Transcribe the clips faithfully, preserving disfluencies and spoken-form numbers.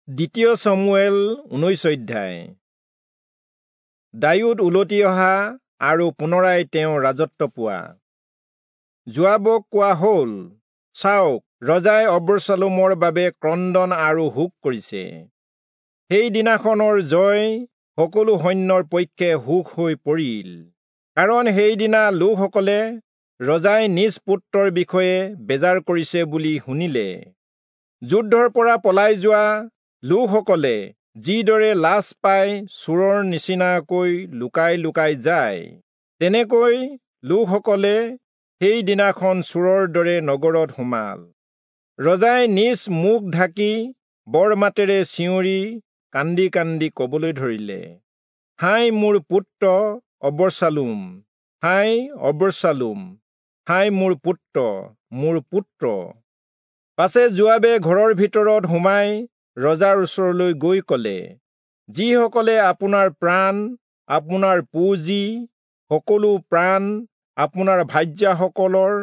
দ্বিতীয় চমূৱেল ঊনৈশ অধ্যায়। দায়ূদ উলটি অহা আৰু পুনৰাই তেওঁ ৰাজত্ব পোৱা। যোৱাবক কোৱা হ'ল, চাওক, ৰজাই অবচালোমৰ বাবে ক্ৰন্দন আৰু শোক কৰিছে। সেই দিনাখনৰ জয় সকলো সৈন্যৰ পক্ষে সুখ হৈ পৰিল, কাৰণ সেইদিনা লোকসকলে ৰজাই নিজ পুত্ৰৰ বিষয়ে বেজাৰ কৰিছে বুলি শুনিলে। যুদ্ধৰ পৰা পলাই যোৱা লোকসকলে যিদৰে লাজ পাই চোৰৰ নিচিনাকৈ লুকাই লুকাই যায়, তেনেকৈ লোকসকলে সেই দিনাখন চোৰৰ দৰে নগৰত সোমাল। ৰজাই নিজ মুখ ঢাকি বৰ মাতেৰে চিঞৰি কান্দি কান্দি কবলৈ ধৰিলে, হায় মোৰ পুত্ৰ অবচালোম, হায় অবচালোম, হায় মোৰ পুত্ৰ, মোৰ পুত্ৰ। পাছে যোৱাবে ঘৰৰ ভিতৰত সোমাই ৰজাৰ ওচৰলৈ গৈ কলে, যিসকলে আপোনাৰ প্ৰাণ, আপোনাৰ পুঁজি, সকলো প্ৰাণ, আপোনাৰ ভাৰ্যাসকলৰ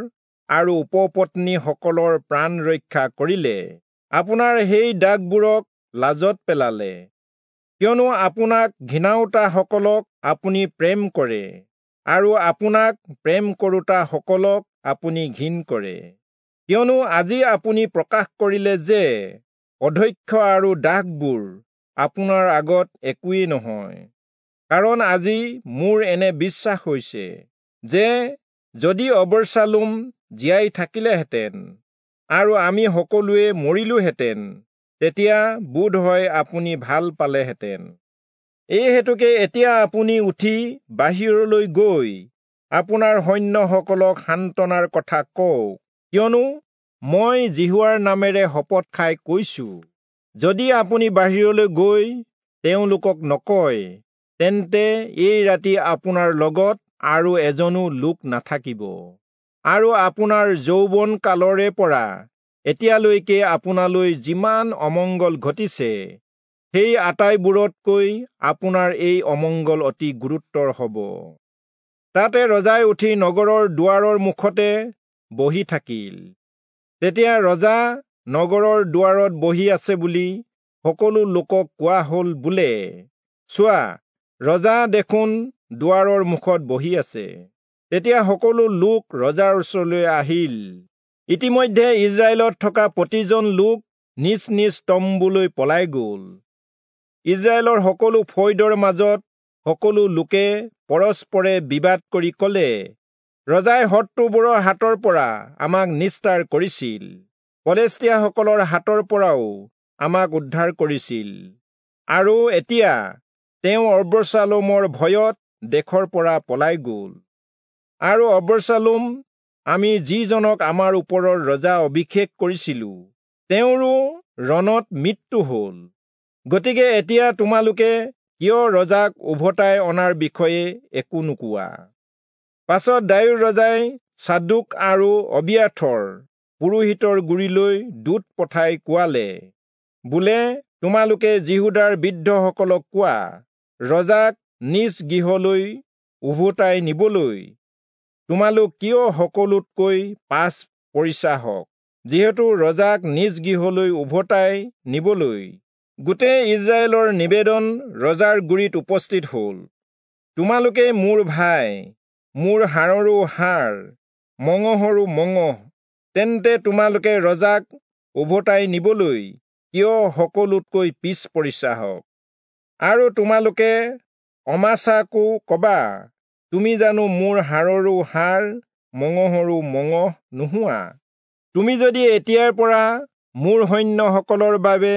আৰু উপপত্নীসকলৰ প্ৰাণ ৰক্ষা কৰিলে, আপোনাৰ সেই দাসবোৰক লাজত পেলালে, কিয়নো আপোনাক ঘিণাওতাসকলক আপুনি প্ৰেম কৰে আৰু আপোনাক প্ৰেম কৰোতাসকলক আপুনি ঘিণ কৰে। কিয়নো আজি আপুনি প্ৰকাশ কৰিলে যে অধ্যক্ষ আৰু দাসবোৰ আপোনাৰ আগত একোৱেই নহয়। কাৰণ আজি মোৰ এনে বিশ্বাস হৈছে যে যদি অবচালোম জীয়াই থাকিলেহেঁতেন আৰু আমি সকলোৱে মৰিলোহেঁতেন, তেতিয়া বোধ হয় আপুনি ভাল পালেহেঁতেন। এই হেতুকে এতিয়া আপুনি উঠি বাহিৰলৈ গৈ আপোনাৰ সৈন্যসকলক সান্তনাৰ কথা কওক, কিয়নো মই যিহোৱাৰ নামেৰে শপত খাই কৈছো, যদি আপুনি বাহিৰলৈ গৈ তেওঁলোকক নকয়, তেন্তে এই ৰাতি আপোনাৰ লগত আৰু এজনো লোক নাথাকিব। আৰু আপোনাৰ যৌৱন কালৰে পৰা এতিয়ালৈকে আপোনালৈ যিমান অমংগল ঘটিছে, সেই আটাইবোৰতকৈ আপোনাৰ এই অমংগল অতি গুৰুতৰ হ'ব। তাতে ৰজাই উঠি নগৰৰ দুৱাৰৰ মুখতে বহি থাকিল। তেতিয়া ৰজা নগৰৰ দুৱাৰত বহি আছে বুলি সকলো লোকক কোৱা হ'ল বোলে, চোৱা, ৰজা দেখোন দুৱাৰৰ মুখত বহি আছে। তেতিয়া সকলো লোক ৰজাৰ ওচৰলৈ আহিল। ইতিমধ্যে ইজৰাইলত থকা প্ৰতিজন লোক নিজ নিজ তম্বুলৈ পলাই গ'ল। ইজৰাইলৰ সকলো ফৈদৰ মাজত সকলো লোকে পৰস্পৰে বিবাদ কৰি ক'লে, ৰজাই শত্ৰুবোৰৰ হাতৰ পৰা আমাক নিস্তাৰ কৰিছিল, পলেষ্টীয়াসকলৰ হাতৰ পৰাও আমাক উদ্ধাৰ কৰিছিল, আৰু এতিয়া তেওঁ অবচালোমৰ ভয়ত দেশৰ পৰা পলাই গ'ল। আৰু অবচালোম, আমি যিজনক আমাৰ ওপৰৰ ৰজা অভিষেক কৰিছিলো, তেওঁৰো ৰণত মৃত্যু হ'ল। গতিকে এতিয়া তোমালোকে কিয় ৰজাক উভতাই অনাৰ বিষয়ে একো নোকোৱা? পাছত দায়ূদ ৰজাই চাদোক আৰু অবিয়াথৰ পুৰোহিতৰ গুৰিলৈ দূত পঠাই কোৱালে বোলে, তোমালোকে যিহূদাৰ বৃদ্ধসকলক কোৱা, ৰজাক নিজ গৃহলৈ উভতাই নিবলৈ তোমালোক কিয় সকলোতকৈ পাছ পৰিছা হওক, যিহেতু ৰজাক নিজ গৃহলৈ উভতাই নিবলৈ গোটেই ইজৰাইলৰ নিবেদন ৰজাৰ গুৰিত উপস্থিত হ'ল। তোমালোকে মোৰ ভাই, মোৰ হাড়ৰো হাড়, মঙহৰো মঙহ, তেন্তে তোমালোকে ৰজাক উভতাই নিবলৈ কিয় সকলোতকৈ পিছ পৰিছা হওক? আৰু তোমালোকে অমাচাকো কবা, তুমি জানো মোৰ হাড়ৰো হাড়, মঙহৰো মঙহ নোহোৱা? তুমি যদি এতিয়াৰ পৰা মোৰ সৈন্যসকলৰ বাবে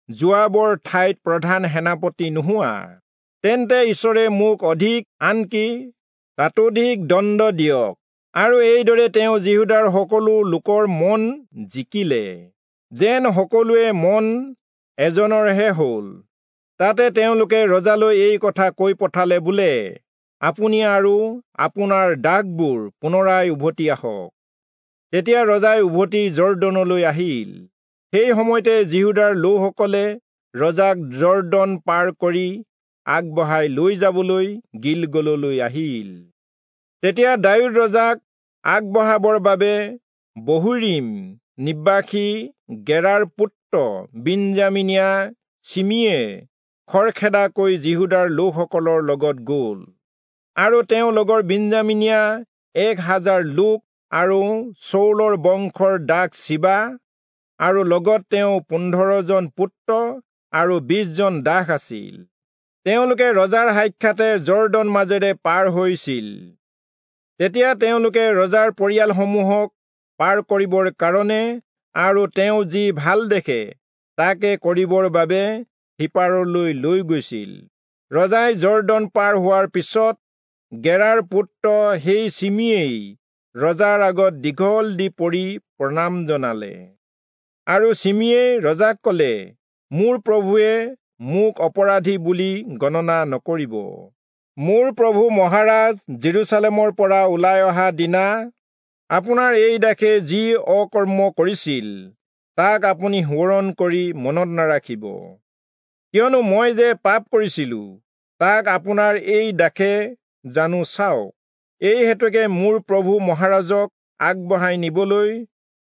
যোৱাবৰ ঠাইত প্ৰধান সেনাপতি নোহোৱা, তেন্তে ঈশ্বৰে মোক অধিক, আনকি তাতোধিক দণ্ড দিয়ক। আৰু এইদৰে তেওঁ যিহূদাৰ সকলো লোকৰ মন জিকিলে, যেন সকলোৱে মন এজনৰহে হ'ল। তাতে তেওঁলোকে ৰজালৈ এই কথা কৈ পঠালে বোলে, আপুনি আৰু আপোনাৰ দাসবোৰ পুনৰাই উভতি আহক। তেতিয়া ৰজাই উভতি যৰ্দনলৈ আহিল। সেই সময়তে যিহূদাৰ লোকসকলে ৰজাক যৰ্দন পাৰ কৰি আগবঢ়াই লৈ যাবলৈ গিলগললৈ আহিল। তেতিয়া দায়ূদ ৰজাক আগবঢ়াবৰ বাবে বহূৰীম নিবাসী গেৰাৰ পুত্ৰ বিন্যামীনীয়া চিমিয়ে খৰখেদাকৈ যিহূদাৰ লোকসকলৰ লগত গ'ল, আৰু তেওঁ লগৰ বিন্যামীনীয়া এক হাজাৰ লোক আৰু চৌলৰ বংশৰ দাস চিবা আৰু লগত তেওঁ পোন্ধৰজন পুত্ৰ আৰু বিশজন দাস আছিল। তেওঁলোকে ৰজাৰ সাক্ষাতে যৰ্দন মাজেৰে পাৰ হৈছিল। তেতিয়া তেওঁলোকে ৰজাৰ পৰিয়ালসমূহক পাৰ কৰিবৰ কাৰণে আৰু তেওঁ যি ভাল দেখে তাকে কৰিবৰ বাবে সিপাৰলৈ লৈ গৈছিল। ৰজাই যৰ্দন পাৰ হোৱাৰ পিছত গেৰাৰ পুত্ৰ সেই চিমিয়েই ৰজাৰ আগত দীঘল দি পৰি প্ৰণাম জনালে। আৰু চিমিয়ে ৰজাক ক'লে, মোৰ প্ৰভুৱে মোক অপৰাধী বুলি গণনা নকৰিব। মোৰ প্ৰভু মহাৰাজ জেৰুচালেমৰ পৰা ওলাই অহা দিনা আপোনাৰ এই দাসে যি অকৰ্ম কৰিছিল তাক আপুনি সোঁৱৰণ কৰি মনত নাৰাখিব, কিয়নো মই যে পাপ কৰিছিলো তাক আপোনাৰ এই দাসে জানো চাওক। এই হেতুকে মোৰ প্ৰভু মহাৰাজক আগবঢ়াই নিবলৈ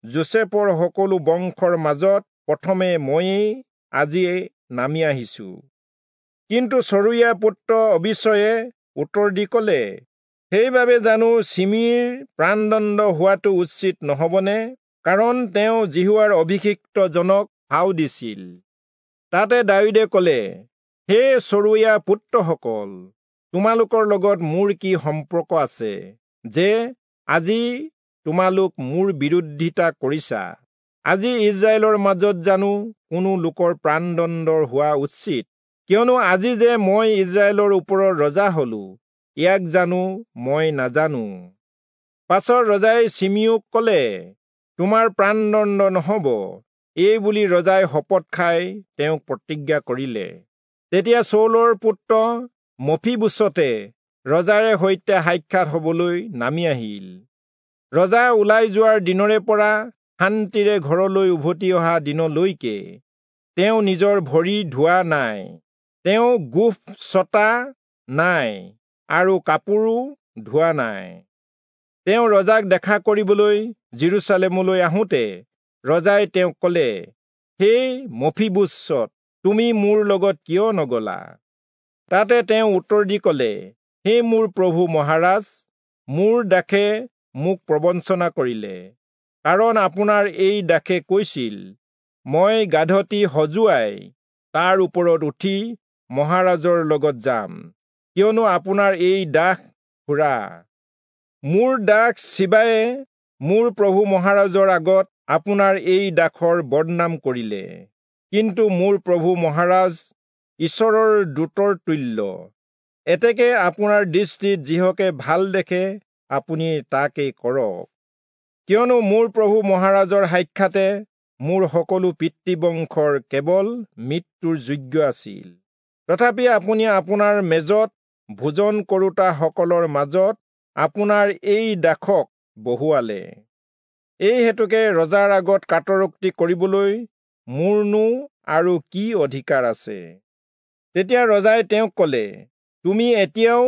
যোচেফৰ সকলো বংশৰ মাজত প্ৰথমে ময়েই আজি নামি আহিছো। কিন্তু চৰুয়া পুত্ৰ অবিচয়ে উত্তৰ দি ক'লে, সেইবাবে জানো চিমিৰ প্ৰাণদণ্ড হোৱাটো উচিত নহবনে? কাৰণ তেওঁ যিহোৱাৰ অভিষিক্তজনক ভাও দিছিল। তাতে দায়ূদে ক'লে, হে চৰুয়া পুত্ৰসকল, তোমালোকৰ লগত মোৰ কি সম্পৰ্ক আছে যে আজি তোমালোক মোৰ বিৰোধিতা কৰিছা? আজি ইজৰাইলৰ মাজত জানো কোনো লোকৰ প্ৰাণদণ্ডৰ হোৱা উচিত? কিয়নো আজি যে মই ইজৰাইলৰ ওপৰত ৰজা হলো, ইয়াক জানো মই নাজানো। পাছত ৰজাই চিমিওক ক'লে, তোমাৰ প্ৰাণদণ্ড নহব। এই বুলি ৰজাই শপত খাই তেওঁক প্ৰতিজ্ঞা কৰিলে। তেতিয়া চৌলৰ পুত্ৰ মফিবোচতে ৰজাৰে সৈতে সাক্ষাৎ হবলৈ নামি আহিল। ৰজা ওলাই যোৱাৰ দিনৰে পৰা শান্তিৰে ঘৰলৈ উভতি অহা দিনলৈকে তেওঁ নিজৰ ভৰি ধোৱা নাই, তেওঁ গোঁফ ছটা নাই আৰু কাপোৰো ধোৱা নাই। তেওঁ ৰজাক দেখা কৰিবলৈ জেৰুচালেমলৈ আহোঁতে ৰজাই তেওঁক ক'লে, হে মফিবোচত, তুমি মোৰ লগত কিয় নগলা? তাতে তেওঁ উত্তৰ দি ক'লে, হে মোৰ প্ৰভু মহাৰাজ, মোৰ দাসে মোক প্ৰবঞ্চনা কৰিলে, কাৰণ আপোনাৰ এই দাসে কৈছিল, মই গাধটি সজুৱাই তাৰ ওপৰত উঠি মহাৰাজৰ লগত যাম, কিয়নো আপোনাৰ এই দাস খুৰা। মোৰ দাস চিবায়ে মোৰ প্ৰভু মহাৰাজৰ আগত আপোনাৰ এই দাসৰ বদনাম কৰিলে, কিন্তু মোৰ প্ৰভু মহাৰাজ ঈশ্বৰৰ দূতৰ তুল্য। এতেকে আপোনাৰ দৃষ্টিত যিহকে ভাল দেখে আপুনি তাকে কৰক, কিয়নো মোৰ প্ৰভু মহাৰাজৰ সাক্ষাতে মোৰ সকলো পিতৃবংশৰ কেৱল মৃত্যুৰ যোগ্য আছিল। তথাপি আপুনি আপোনাৰ মেজত ভোজন কৰোতাসকলৰ মাজত আপোনাৰ এই দাসক বহুৱালে। এই হেতুকে ৰজাৰ আগত কাতৰোক্তি কৰিবলৈ মোৰনো আৰু কি অধিকাৰ আছে? তেতিয়া ৰজাই তেওঁক ক'লে, তুমি এতিয়াও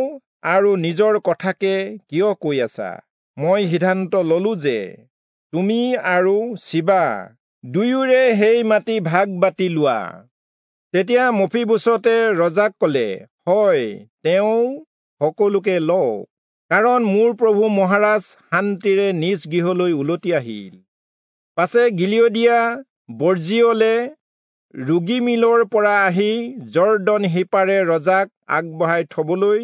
আৰু নিজৰ কথাকে কিয় কৈ আছা? মই সিদ্ধান্ত ললো যে তুমি আৰু চিবা দুয়োৰে সেই মাটি ভাগ বাটি লোৱা। তেতিয়া মফিবোচতে ৰজাক ক'লে, হয়, তেওঁ সকলোকে লওক, কাৰণ মোৰ প্ৰভু মহাৰাজ শান্তিৰে নিজ গৃহলৈ উলটি আহিল। পাছে গিলিয়দীয়া বৰ্জিয়লে ৰোগীমিলৰ পৰা আহি যৰ্দন সিপাৰে ৰজাক আগবঢ়াই থবলৈ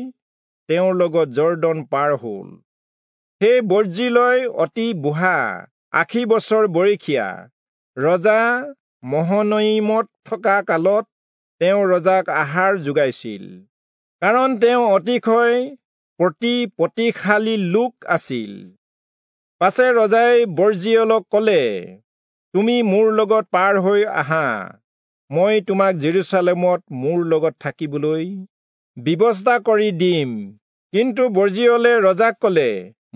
তেওঁৰ লগত যৰ্দন পাৰ হ'ল। সেই বৰ্জিলয় অতি বুঢ়া, আশী বছৰ বয়সীয়া। ৰজা মহনয়িমত থকা কালত তেওঁ ৰজাক আহাৰ যোগাইছিল, কাৰণ তেওঁ অতিশয় প্ৰতিপত্তিশালী লোক আছিল। পাছে ৰজাই বৰ্জিয়লক ক'লে, তুমি মোৰ লগত পাৰ হৈ আহা, মই তোমাক জেৰুচালেমত মোৰ লগত থাকিবলৈ ব্যৱস্থা কৰি দিম। কিন্তু বৰ্জিয়লে ৰজাক ক'লে,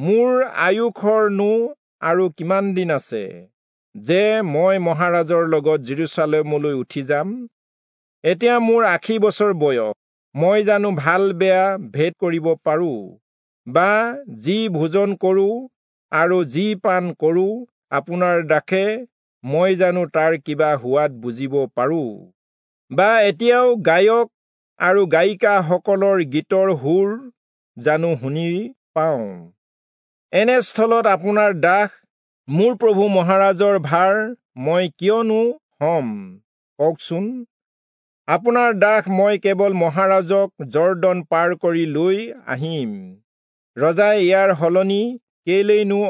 মোৰ আয়ুসৰনো আৰু কিমান দিন আছে যে মই মহাৰাজৰ লগত জেৰুচালেমলৈ উঠি যাম? এতিয়া মোৰ আশী বছৰ বয়স, মই জানো ভাল বেয়া ভেদ কৰিব পাৰোঁ? বা যি ভোজন কৰোঁ আৰু যি পান কৰোঁ আপোনাৰ দাসে মই জানো তাৰ কিবা সোৱাদ বুজিব পাৰোঁ? বা এতিয়াও গায়ক আৰু গায়িকাসকলৰ গীতৰ সুৰ জানো শুনি পাওঁ। এনে স্থলত আপোনাৰ দাস মোৰ প্ৰভু মহাৰাজৰ ভাৰ মই কিয়নো হ'ম কওকচোন? আপোনাৰ দাস মই কেৱল মহাৰাজক যৰ্দন পাৰ কৰি লৈ আহিম। ৰজাই ইয়াৰ সলনি কেলেইনো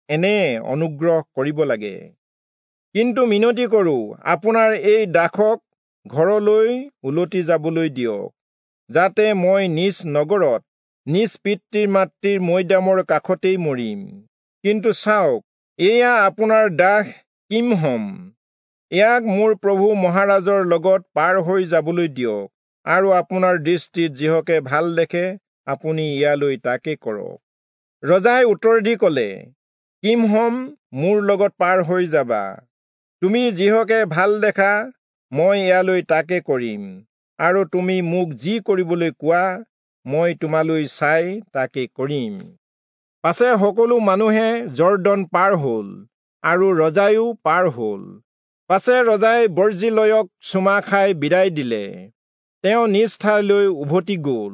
এনে অনুগ্ৰহ কৰিব লাগে? কিন্তু মিনতি কৰোঁ, আপোনাৰ এই দাসক ঘৰলৈ উলটি যাবলৈ দিয়ক, যাতে মই নিজ নগৰত নিজ পিতৃ মাতৃৰ মৈদামৰ কাষতেই মৰিম। কিন্তু চাওক, এয়া আপোনাৰ দাস কিমহম, ইয়াক মোৰ প্ৰভু মহাৰাজৰ লগত পাৰ হৈ যাবলৈ দিয়ক, আৰু আপোনাৰ দৃষ্টিত যিহকে ভাল দেখে আপুনি ইয়ালৈ তাকে কৰক। ৰজাই উত্তৰ দি কলে, কিমহম মোৰ লগত পাৰ হৈ যাবা, তুমি যিহকে ভাল দেখা মই ইয়ালৈ তাকে কৰিম, আৰু তুমি মোক যি কৰিবলৈ কোৱা মই তোমালৈ চাই তাকে কৰিম। পাছে সকলো মানুহে যৰ্দন পাৰ হল, আৰু ৰজায়ো পাৰ হল। পাছে ৰজাই বৰ্জিলয়ক চুমা খাই বিদায় দিলে, তেওঁ নিজ ঠাইলৈ উভতি গল।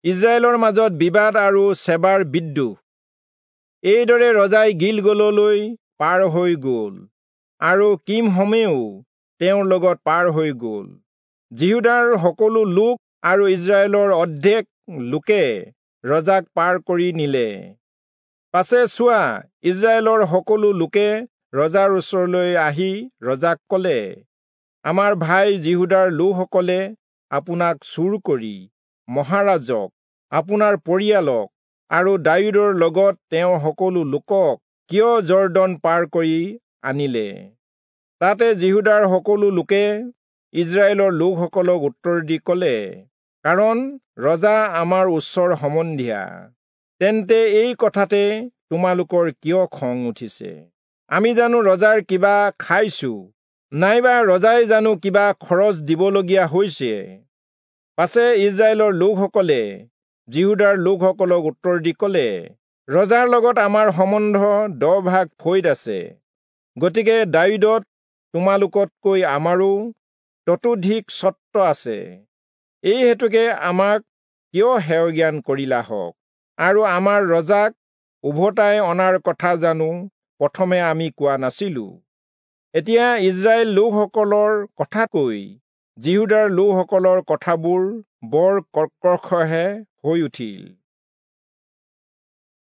ইজৰাইলৰ মাজত বিবাদ আৰু চেবাৰ বিদ্ৰোহ। এইদৰে ৰজাই গিলগললৈ পাৰ হৈ গল, আৰু কিমহমেও তেওঁৰ লগত পাৰ হৈ গল। যিহূদাৰ সকলো লোক আৰু ইজৰাইলৰ অৰ্ধেক লোকে ৰজাক পাৰ কৰি নিলে। পাছে চোৱা, ইজৰাইলৰ সকলো লোকে ৰজাৰ ওচৰলৈ আহি ৰজাক কলে, আমাৰ ভাই যিহূদাৰ লোকসকলে আপোনাক চুৰ কৰি মহাৰাজক, আপোনাৰ পৰিয়ালক আৰু দায়ূদৰ লগত তেওঁৰ সকলো লোকক কিয় যৰ্দন পাৰ কৰি আনিলে? তাতে যিহূদাৰ সকলো লোকে ইজৰাইলৰ লোকসকলক উত্তৰ দি কলে, কাৰণ ৰজা আমাৰ ওচৰ সম্বন্ধীয়া, তেন্তে এই কথাতে তোমালোকৰ কিয় খং উঠিছে? আমি জানো ৰজাৰ কিবা খাইছো, নাইবা ৰজাই জানো কিবা খৰচ দিবলগীয়া হৈছে? পাছে ইজৰাইলৰ লোকসকলে যিহূদাৰ লোকসকলক উত্তৰ দি কলে, ৰজাৰ লগত আমাৰ সম্বন্ধ দহ ভাগ ফৈদ আছে, গতিকে দায়ূদত তোমালোকতকৈ আমাৰো ততোধিক স্বত্ব আছে। এই হেতুকে আমাক কিয় হেয়জ্ঞান কৰিলা হওক? আৰু আমাৰ ৰজাক উভতাই অনাৰ কথা জানো প্ৰথমে আমি কোৱা নাছিলো? এতিয়া ইজৰাইল লোকসকলৰ কথাতকৈ যিহূদাৰ লোকসকলৰ কথাবোৰ বৰ কৰ্কশহে হৈ উঠিল।